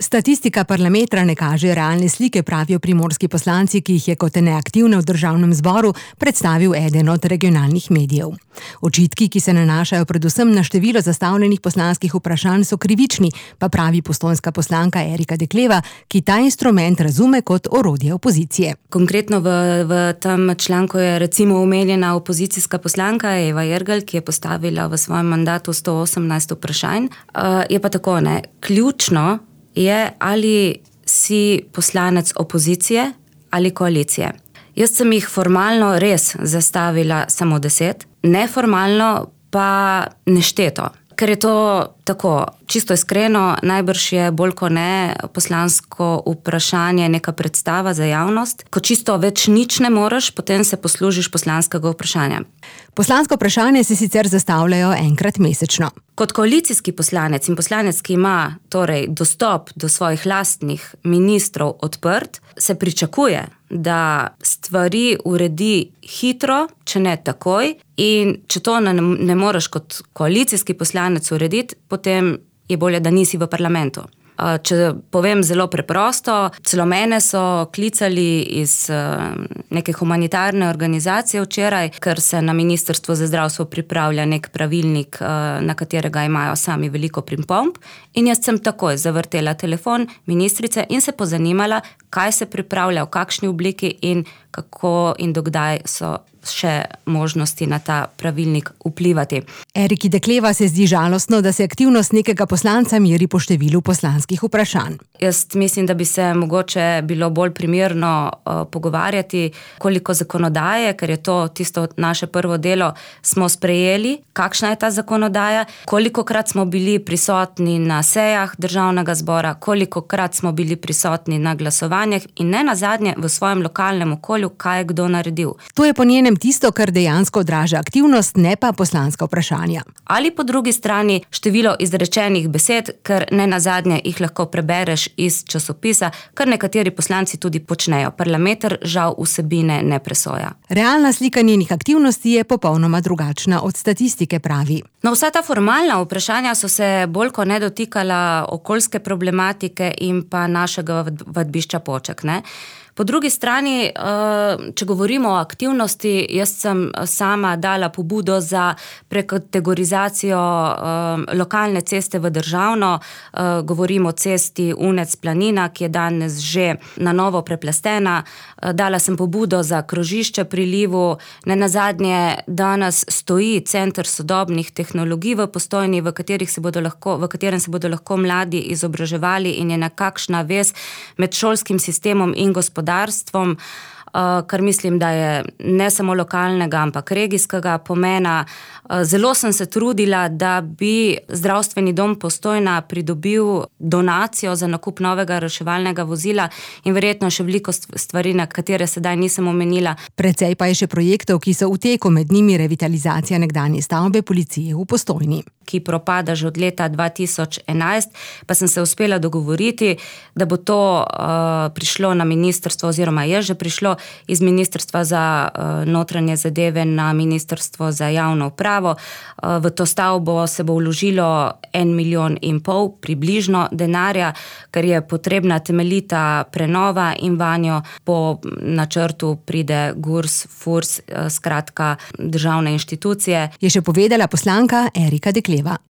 Statistika Parlametra ne kaže realne slike, pravijo primorski poslanci, ki jih je kot neaktivne v državnem zboru predstavil eden od regionalnih medijev. Očitki, ki se nanašajo predvsem na število zastavljenih poslanskih vprašanj, so krivični, pa pravi postojnska poslanka Erika Dekleva, ki ta instrument razume kot orodje opozicije. Konkretno v tem članku je recimo omenjena opozicijska poslanka Eva Irgl, ki je postavila v svojem mandatu 118 vprašanj. Je pa tako, ključno je, ali si poslanec opozicije ali koalicije. Jaz sem jih formalno res zastavila samo 10, neformalno pa nešteto. Ker je to tako, čisto iskreno, najbrž je bolj kot ne poslansko vprašanje neka predstava za javnost. Ko čisto več nič ne moreš, potem se poslužiš poslanskega vprašanja. Poslansko vprašanje se sicer zastavljajo enkrat mesečno. Kot koalicijski poslanec in poslanec, ki ima torej dostop do svojih lastnih ministrov odprt, se pričakuje, da stvari uredi hitro, če ne takoj, in če to ne moreš kot koalicijski poslanec urediti, potem je bolje, da nisi v parlamentu. Če povem zelo preprosto, celo mene so klicali iz neke humanitarne organizacije včeraj, ker se na Ministrstvu za zdravstvo pripravlja nek pravilnik, na katerega imajo sami veliko pripomb, in jaz sem takoj zavrtela telefon ministrice in se pozanimala, kaj se pripravlja, v kakšni obliki in kako in dokdaj so še možnosti na ta pravilnik vplivati. Eriki Dekleva se zdi žalostno, da se aktivnost nekega poslanca meri po številu poslanskih vprašanj. Jaz mislim, da bi se mogoče bilo bolj primerno pogovarjati, koliko zakonodaje, ker je to tisto naše prvo delo, smo sprejeli, kakšna je ta zakonodaja, kolikokrat smo bili prisotni na sejah državnega zbora, kolikokrat smo bili prisotni na glasovanjih in ne nazadnje v svojem lokalnem okolju, kaj je kdo naredil. To je po njenem tisto, kar dejansko odraža aktivnost, ne pa poslanska vprašanja. Ali po drugi strani število izrečenih besed, ker ne nazadnje jih lahko prebereš iz časopisa, kar nekateri poslanci tudi počnejo. Parlameter žal vsebine ne presoja. Realna slika njenih aktivnosti je popolnoma drugačna od statistike, pravi. Vsa ta formalna vprašanja so se bolj kot ne dotikala okoljske problematike in pa našega vadbišča Poček, Po drugi strani, če govorimo o aktivnosti, jaz sem sama dala pobudo za prekategorizacijo lokalne ceste v državno. Govorimo o cesti Unec-Planina, ki je danes že na novo preplastena. Dala sem pobudo za krožišče pri Livu. Nenazadnje danes stoji Center sodobnih tehnologij v Postojni, v katerem se bodo lahko mladi izobraževali in je nekakšna vez med šolskim sistemom in gospodarstvom, kar mislim, da je ne samo lokalnega, ampak regijskega pomena. Zelo sem se trudila, da bi zdravstveni dom Postojna pridobil donacijo za nakup novega reševalnega vozila in verjetno še veliko stvari, na katere sedaj nisem omenila. Precej pa je še projektov, ki so v teku, med njimi revitalizacija nekdanje stavbe policije v Postojni, ki propada že od leta 2011, pa sem se uspela dogovoriti, da bo to prišlo na ministrstvo, oziroma je že prišlo iz Ministrstva za notranje zadeve na Ministrstvo za javno upravo. V to stavbo se bo vložilo 1,5 milijona približno denarja, ker je potrebna temeljita prenova in vanjo po načrtu pride GURS, FURS, skratka državne inštitucije. Je še povedala poslanka Erika Dekleva.